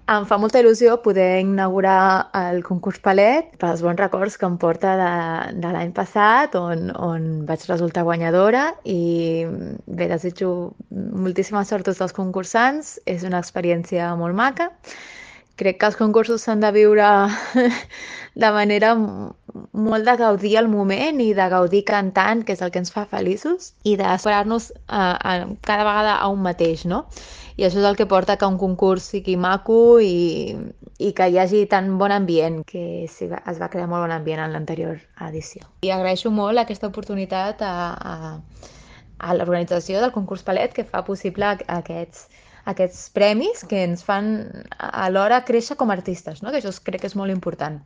Em fa molta il·lusió poder inaugurar el concurs Palet pels bons records que em porta de l'any passat, on vaig resultar guanyadora i bé, desitjo moltíssima sort a tots els concursants. És una experiència molt maca. Crec que els concursos s'han de viure de manera molt de gaudir el moment i de gaudir cantant, que és el que ens fa feliços, i d'esperar-nos cada vegada a un mateix, no? I això és el que porta que un concurs sigui maco i que hi hagi tan bon ambient, que sí, es va crear molt bon ambient en l'anterior edició. I agraeixo molt aquesta oportunitat a l'organització del concurs Palet, que fa possible aquests premis que ens fan alhora créixer com a artistes, no? Que això crec que és molt important.